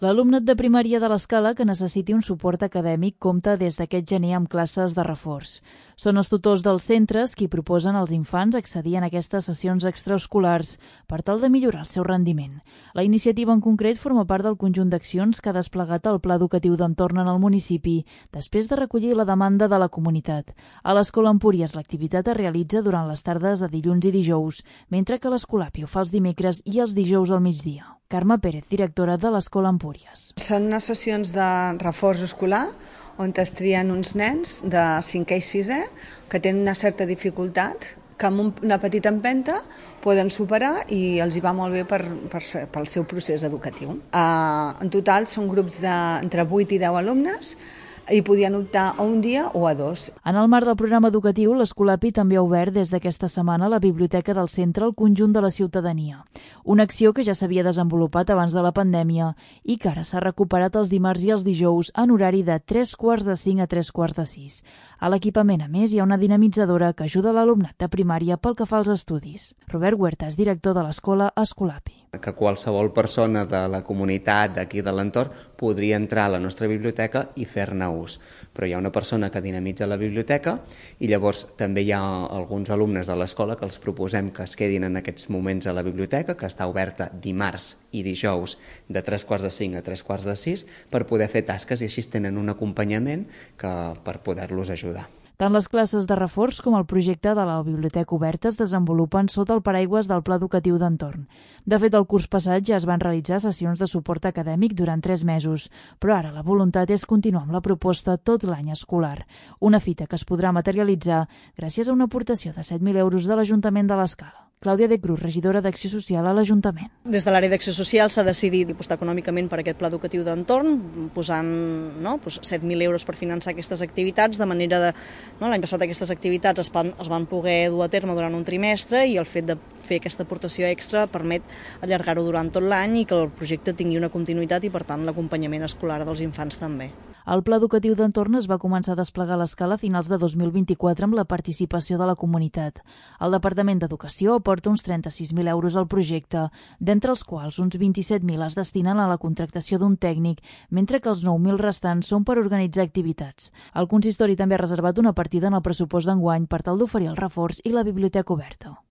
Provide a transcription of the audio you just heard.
L'alumnat de primària de l'Escala que necessiti un suport acadèmic compta des d'aquest gener amb classes de reforç. Són els tutors dels centres qui proposen als infants accedir en aquestes sessions extraescolars per tal de millorar el seu rendiment. La iniciativa en concret forma part del conjunt d'accions que ha desplegat el Pla Educatiu d'Entorn en el municipi després de recollir la demanda de la comunitat. A l'Escola Empúries l'activitat es realitza durant les tardes de dilluns i dijous, mentre que l'Escolapi ho fa els dimecres i els dijous al migdia. Carme Pérez, directora de l'Escola Empúries. Són unes sessions de reforç escolar on es trien uns nens de 5è i 6è que tenen una certa dificultat que amb una petita empenta poden superar i els hi va molt bé pel seu procés educatiu. En total són grups d'entre 8 i 10 alumnes i podien optar a un dia o a 2. En el marc del programa educatiu, l'Escolapi també ha obert des d'aquesta setmana la biblioteca del centre al conjunt de la ciutadania. Una acció que ja s'havia desenvolupat abans de la pandèmia i que ara s'ha recuperat els dimarts i els dijous en horari de 3:45 a 3:45. A l'equipament, a més, hi ha una dinamitzadora que ajuda l'alumnat de primària pel que fa als estudis. Robert Huerta és director de l'Escola Escolapi. Que qualsevol persona de la comunitat d'aquí de l'entorn podria entrar a la nostra biblioteca i fer-ne ús. Però hi ha una persona que dinamitza la biblioteca i llavors també hi ha alguns alumnes de l'escola que els proposem que es quedin en aquests moments a la biblioteca, que està oberta dimarts i dijous de 3:45 a 3:45 per poder fer tasques i així tenen un acompanyament per poder-los ajudar. Tant les classes de reforç com el projecte de la Biblioteca Oberta es desenvolupen sota el paraigües del Pla Educatiu d'Entorn. De fet, el curs passat ja es van realitzar sessions de suport acadèmic durant 3 mesos, però ara la voluntat és continuar amb la proposta tot l'any escolar. Una fita que es podrà materialitzar gràcies a una aportació de 7.000 euros de l'Ajuntament de l'Escala. Clàudia de Cruz, regidora d'Acció Social a l'Ajuntament. Des de l'àrea d'Acció Social s'ha decidit apostar econòmicament per aquest pla educatiu d'entorn, posant 7.000 euros per finançar aquestes activitats, de manera de... L'any passat aquestes activitats es van poder dur a terme durant un trimestre i el fet de fer aquesta aportació extra permet allargar-ho durant tot l'any i que el projecte tingui una continuïtat i, per tant, l'acompanyament escolar dels infants també. El Pla Educatiu d'Entorn es va començar a desplegar a l'Escala a finals de 2024 amb la participació de la comunitat. El Departament d'Educació aporta uns 36.000 euros al projecte, d'entre els quals uns 27.000 es destinen a la contractació d'un tècnic, mentre que els 9.000 restants són per organitzar activitats. El consistori també ha reservat una partida en el pressupost d'enguany per tal d'oferir el reforç i la biblioteca oberta.